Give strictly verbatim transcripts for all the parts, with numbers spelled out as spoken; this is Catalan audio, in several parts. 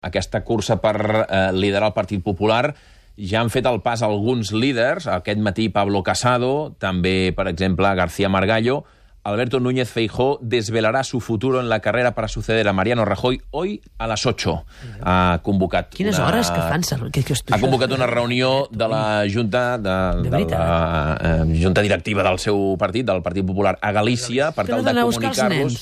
aquesta cursa per eh, liderar el Partit Popular. Ja han fet el pas alguns líders, aquest matí Pablo Casado, també, per exemple, García Margallo. Alberto Núñez Feijóo desvelará su futuro en la carrera para suceder a Mariano Rajoy hoy a les ocho. Ha convocat Quines una... hores que fan? Que, que ha convocat una reunió de la Junta de, de, de la eh, Junta Directiva del seu partit, del Partit Popular, a Galícia, per tal de comunicar-los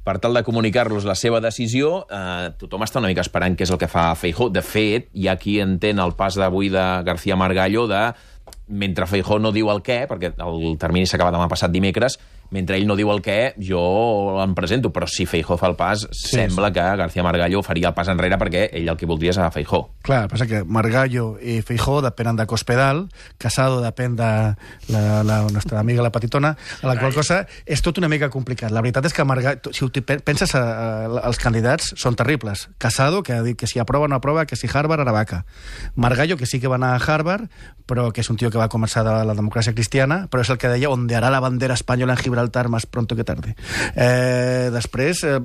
per tal de comunicar-los la seva decisió. Eh, tothom està una mica esperant què és el que fa Feijóo. De fet, hi ha qui entén el pas d'avui de García Margallo de, mentre Feijóo no diu el què, perquè el termini s'acaba demà passat dimecres, mentre ell no diu el què, jo em presento, però si Feijóo fa el pas, sí, sembla sí. que García Margallo faria el pas enrere perquè ell el que voldria és a Feijóo. Clar, passa que Margallo i Feijóo depenen de Cospedal, Casado depèn de la, la nostra amiga la Petitona, a la qual cosa és tot una mica complicat. La veritat és que Margallo, si penses, a, a, els candidats són terribles. Casado, que ha dit que si aprova o no aprova, que si Harvard, Aravaca. Margallo, que sí que va anar a Harvard, però que és un tio que va començar de la democràcia cristiana, però és el que deia ondearà la bandera espanyola en Gibraltar más pronto que tarde. Eh, després, eh,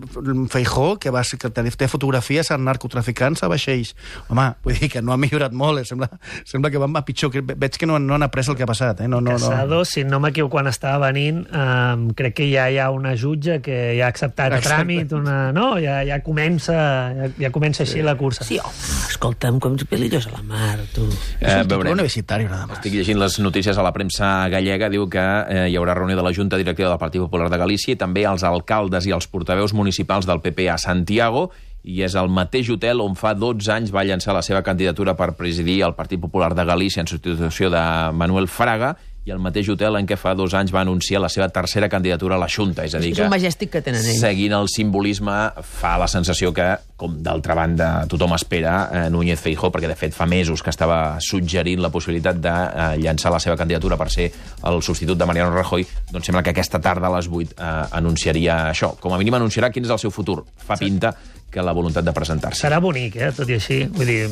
Feijóo, que, va, que té fotografies amb narcotraficants a vaixells. Home, vull dir que no ha millorat molt, eh? sembla, sembla que van a pitjor. Veig que no, no han après el que ha passat. Eh? No, no, Casado, no. si no m'equivoco, quan estava venint, um, crec que ja hi ha una jutge que ja ha acceptat el tràmit, una... no? Ja, ja comença ja, ja comença així la cursa. Sí, home, escolta'm, com pelillos a la mar, tu. Eh, veurem. Universitari, nada más. Estic llegint les notícies a la premsa gallega, diu que eh, hi haurà reunió de la Junta Directiva del Partit Popular de Galícia i també els alcaldes i els portaveus municipals del P P a Santiago, i és el mateix hotel on fa dotze anys va llançar la seva candidatura per presidir el Partit Popular de Galícia en substitució de Manuel Fraga, i el mateix hotel en què fa dos anys va anunciar la seva tercera candidatura a la Junta. És a dir, és un Majestic que tenen ells. Seguint el simbolisme, fa la sensació que, com d'altra banda tothom espera, eh, Núñez Feijóo, perquè de fet fa mesos que estava suggerint la possibilitat de eh, llançar la seva candidatura per ser el substitut de Mariano Rajoy, doncs sembla que aquesta tarda a les vuit eh, anunciaria això. Com a mínim anunciarà quin és el seu futur. Fa pinta que la voluntat de presentar-se. Serà bonic, eh, tot i així. Vull dir,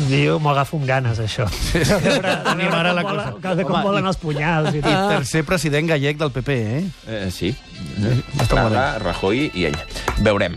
jo m'ho agafo amb ganes, això. De veure, de veure com, vola, de com Home, volen els punyals. I, i tercer president gallec del P P, eh? eh sí. eh? Fraga, Rajoy i ell. Veurem.